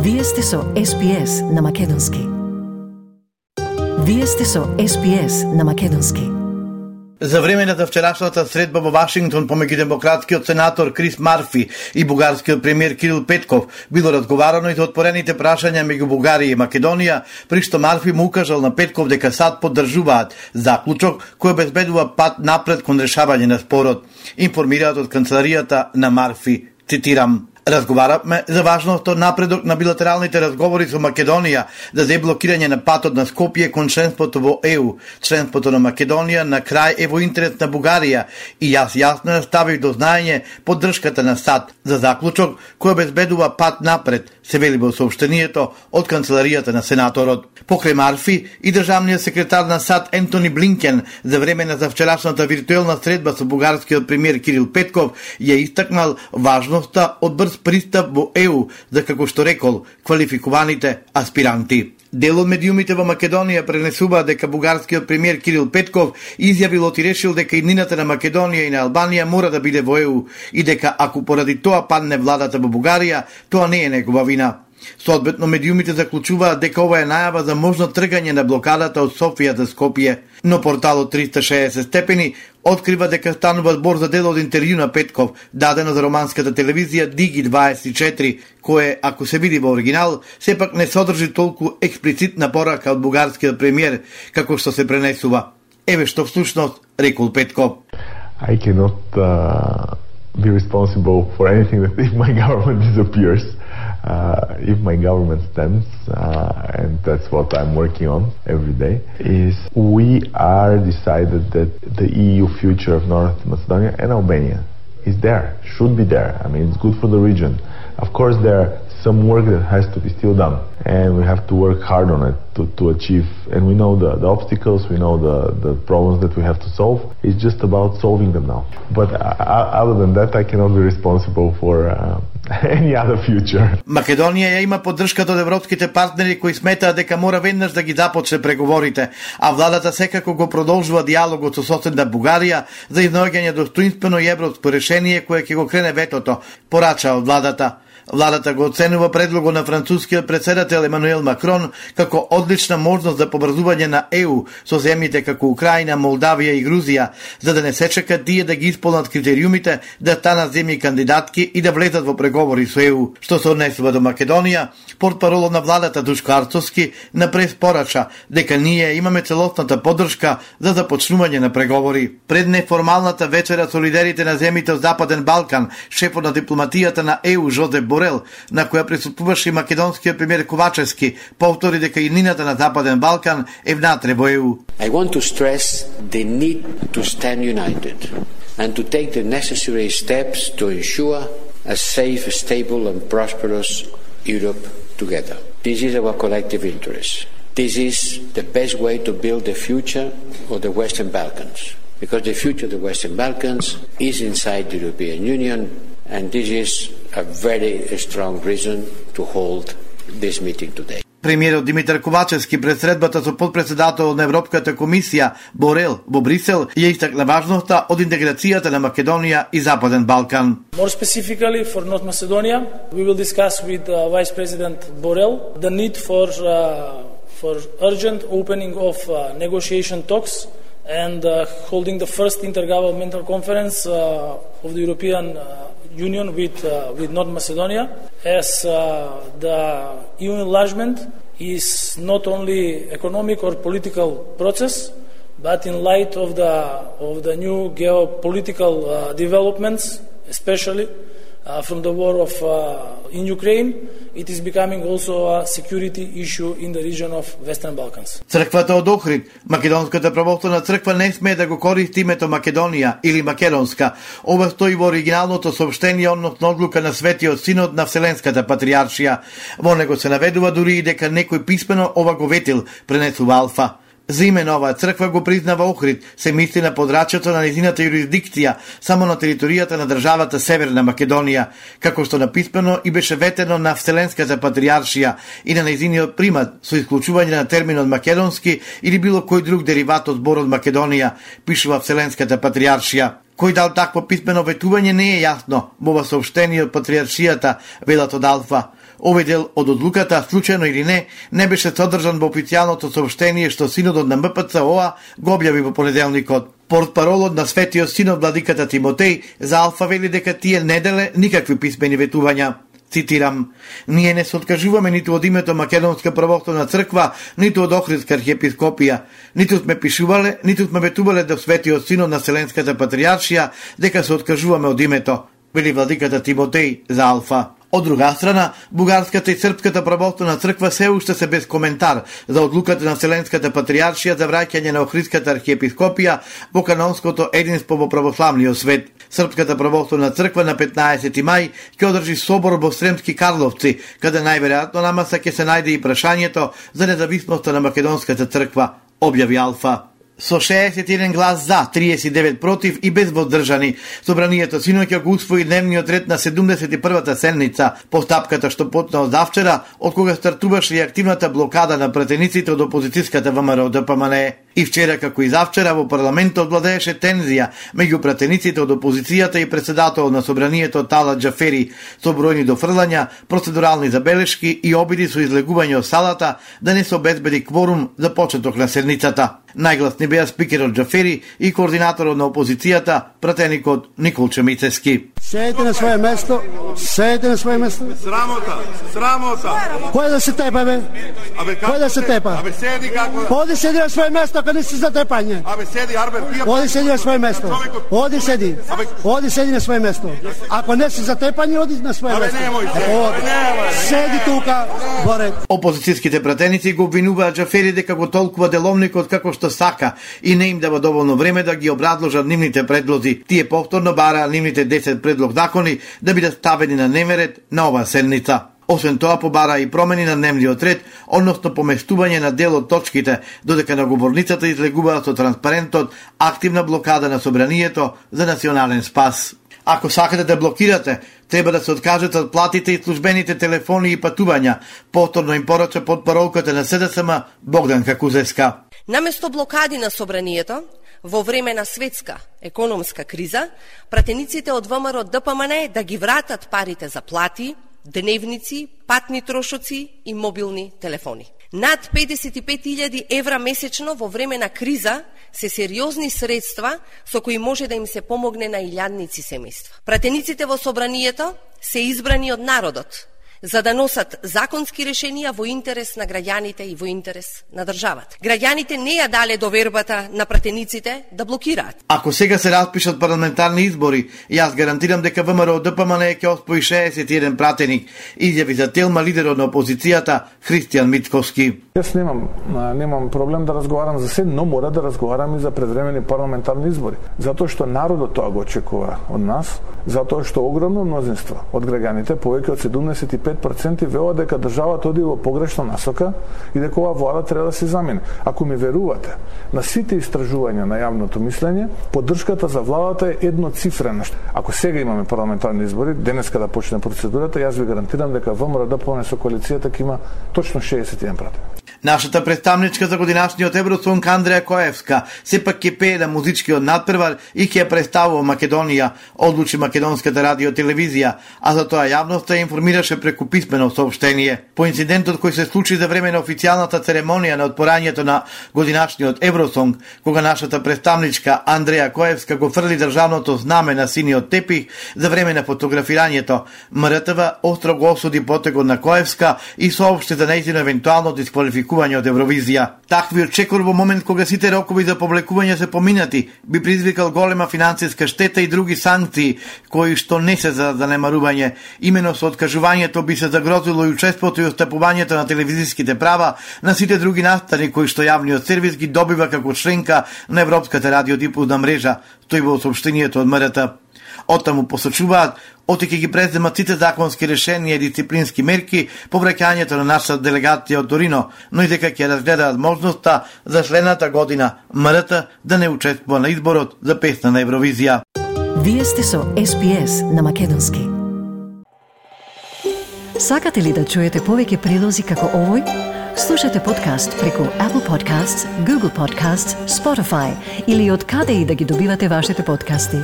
Вие сте со SPS на македонски. Вие сте со SPS на македонски. За време на вчерашната средба во Вашингтон помеѓу демократскиот сенатор Крис Марфи и бугарскиот премиер Кирил Петков било разговарано и за отворените прашања меѓу Бугарија и Македонија, при што Марфи му укажал на Петков дека САД поддржуваат заклучок кој обезбедува пат напред кон решавање на спорот. Информираат од канцеларијата на Марфи, цитирам: "Разговаравме за важноста од напредок на билатералните разговори со Македонија за деблокирање на патот на Скопје кон членството во ЕУ. Членството на Македонија на крај е во интерес на Бугарија и јас јасно ставив до знаење поддршката на САД за заклучок кој обезбедува пат напред", се вели во соопштението од канцеларијата на сенаторот. Покрај Марфи и државниот секретар на САД Ентони Блинкен за време на завчерашната виртуелна средба со бугарскиот премиер Кирил Петков ја истакнал важноста од брз пристап во ЕУ за, како што рекол, квалификуваните аспиранти. Дел од медиумите во Македонија пренесува дека бугарскиот премиер Кирил Петков изјавил и решил дека иднината на Македонија и на Албанија мора да биде во ЕУ и дека ако поради тоа падне владата во Бугарија, тоа не е негова вина. Соодветно, медиумите заклучуваат дека ова е најава за можно тргање на блокадата од Софија за Скопје, но порталот 360 степени открива дека станува збор за дел од интервју на Петков, дадено за романската телевизија Digi24, кое, ако се види во оригинал, сепак не содржи толку експлицитна порака од бугарскиот премиер, како што се пренесува. Еве што всушност рекол Петков: I cannot be responsible for anything that if my government disappears. If my government stands, and that's what I'm working on every day, is we are decided that the EU future of North Macedonia and Albania is there, should be there. I mean, it's good for the region. Of course, there are some work that has to be still done, and we have to work hard on it to achieve. And we know the obstacles, we know the problems that we have to solve. It's just about solving them now. But other than that, I cannot be responsible for any other future. Македонија ја има поддршката од европските партнери кои сметаат дека мора веднаш да ги започне преговорите, а владата секако го продолжува диалогот со соседна Бугарија за изнаоѓање достоинствено и европско решение кое ќе го крене ветото, порача од владата. Владата го оценува предлогот на францускиот претседател Емануел Макрон како одлична можност за побрзување на ЕУ со земјите како Украина, Молдавија и Грузија, за да не се чека тие да ги исполнат критериумите да станат земји кандидатки и да влезат во преговори со ЕУ. Што се однесува до Македонија, портпаролот на владата Душко Арцовски напред порача дека ние имаме целосната поддршка за започнување на преговори. Пред неформалната вечера со лидерите на земјите од Западен Балкан, шефот на дипломатијата на ЕУ Жозеп Борел, на која присуствуваше и македонскиот премиер Ковачевски, повтори дека иднината на Западен Балкан е внатре во ЕУ. I want to stress the need to stand united and to take the necessary steps to ensure a safe, stable and prosperous Europe together. This is our collective interest. This is the best way to build the future of the Western Balkans, because the future of the Western Balkans is inside the European Union, and this is a very strong reason to hold this meeting today. Премиерот Димитар Ковачевски пред средбата со подпредседателот на Европската комисија Борел во Брисел ја истакна важноста од интеграцијата на Македонија и Западен Балкан. More specifically for North Macedonia, we will discuss with Vice President Borrell the need for urgent opening of negotiation talks and holding the first intergovernmental conference of the European Union with North Macedonia, as the EU enlargement is not only economic or political process, but in light of the new geopolitical developments, especially from the war in Ukraine, it is becoming also a security issue in the region of Western Balkans. Црквата од Охрид, Македонската православна црква, не сме да го користи името Македонија или Македонска. Ова стои во оригиналното соопштение односно одлука на Светиот Синод на Вселенската патриаршија. Во него се наведува дури и дека некој писмено ова го ветил, пренесува Алфа. За име на оваа црква го признава Охрид, се мисли на подрачјето на нејзината юрисдикција само на територијата на државата Северна Македонија, како што написмено и беше ветено на Вселенската патриаршија и на нејзиниот примат со исклучување на терминот македонски или било кој друг дериват од зборот Македонија, пишува Вселенската патриаршија. Кој дал такво писмено ветување не е јасно во ова соопштение од патриаршијата, велат од Алфа. Овој дел од одлуката, случајно или не беше содржан во официјалното соопштение што Синодот на МПЦ-ОА го објави во понеделникот. Портпаролот на Светиот Синод владиката Тимотеј за Алфа вели дека тие не деле никакви писмени ветувања. Цитирам: "Ние не се откажуваме ниту од името Македонска православна црква, ниту од Охридска архиепископија. Ниту сме пишувале, ниту сме ветувале до Светиот Синод на Вселенската патријаршија дека се откажуваме од името", вели владиката Тимотеј за Алфа. Од друга страна, Бугарската и Српската православна црква се уште се без коментар за одлуката на Вселенската патријаршија за враќање на Охридската архиепископија во канонското единство во православниот свет. Српската православна црква на 15 мај ќе одржи собор во Сремски Карловци, каде најверојатно на маса ќе се најде и прашањето за независноста на македонската црква, објави Алфа. Со 61 глас за, 39 против и без воздржани, собранието синоќа го усвои дневниот ред на 71-та седница, постапката што почна од завчера, од кога стартуваше и активната блокада на пратениците од опозицијската ВМРО ДПМНЕ. И вчера, како и завчера, во парламентот владееше тензија меѓу пратениците од опозицијата и председателот на собранието Талат Џафери, со бројни дофрлања, процедурални забелешки и обиди со излегување од салата да не се обезбеди кворум за почеток на седницата. Најгласни беа спикерот Џафери и координаторот на опозицијата, пратеникот Николче Мицевски. Седите на своје место, седите на своје место. Срамота, срамота. Кој да се тепа, бе? Кој да се тепа? Абе седи како... Оди седи на своје место, кога не си за тепање. Абе седи, Арбер, пија... Оди седи на своје место. Оди седи. Оди седи на своје место. Ако не си за тепање, оди на своје место. Абе немој се. Седи тука, горе. Опозицијските пратеници го обвинуваат Џафери дека го толкува деловникот како што сака и не им дава доволно време да ги образложат нивните предлози. Тие повторно бараа нивните 10 предлог закони да бидат ставени на дневен ред на оваа седница. Освен тоа, побара и промени на дневниот ред, односно поместување на дел од точките, додека на говорницата излегуваат со транспарентот активна блокада на собранието за национален спас. Ако сакате да блокирате, треба да се откажете од платите и службените телефони и патувања, повторно им порача потпаролката на СДСМ Богданка Кузевска. Наместо блокади на собранието, во време на светска економска криза, пратениците од ВМРО ДПМНЕ да ги вратат парите за плати, дневници, патни трошоци и мобилни телефони. Над 55.000 евра месечно во време на криза се сериозни средства со кои може да им се помогне на илјадници семејства. Пратениците во собранието се избрани од народот за да носат законски решенија во интерес на граѓаните и во интерес на државата. Граѓаните не ја дале довербата на пратениците да блокираат. Ако сега се распишат парламентарни избори, јас гарантирам дека ВМРО ДПМНЕ ќе оспои 61 пратеник, изјави за Телма лидерот на опозицијата Христијан Мицковски. Јас немам проблем да разговарам за се, но мора да разговарам и за предвремени парламентарни избори. Затоа што народот тоа го очекува од нас, затоа што огромно мнозинство од граѓаните, повеќе од 75% велат дека државата оди во погрешна насока и дека оваа влада треба да се замени. Ако ми верувате, на сите истражувања на јавното мислење, поддршката за владата е едноцифрена. Ако сега имаме парламентарни избори, денеска да почне процедурата, јас ви гарантирам дека ВМРО ДПМНЕ со коалицијата ќе има точно 61 пратеник. Нашата представничка за годинашниот Евросонг Андреја Коевска сепак ќе пее на музичкиот надпревар и ќе ја представува Македонија, одлучи Македонската радиотелевизија, а за тоа јавноста ја информираше преку писмено соопштение. По инцидентот кој се случи за време на официјалната церемонија на отпорањето на годинашниот Евросонг, кога нашата представничка Андреја Коевска го фрли државното знаме на синиот тепих за време на фотографирањето, МРТВ остро го осуди потегот на Коевска и соопшти за нејзино евентуално дисквалификување од Евровизија. Таквиот чекор во момент кога сите рокови за публикување се поминати, би предизвикал голема финансиска штета и други санкции, кои што не се за занемарување. Имено со откажувањето би се загрозило и учеството и остапувањето на телевизиските права на сите други настани кои што јавниот сервис ги добива како членка на Европската радиодифузна мрежа, стои во соопштението од МРТ. Оттаму посочуваат, оти ги преземат сите законски решенија и дисциплински мерки по враќањето на нашата делегација од Торино, но и дека ќе разгледаат можноста за следната година МРТ да не учествува на изборот за песна на Евровизија. Вие сте со SPS на Македонски. Сакате ли да чуете повеќе прилози како овој? Слушате подкаст преку Apple Podcasts, Google Podcasts, Spotify или од каде и да ги добивате вашите подкасти.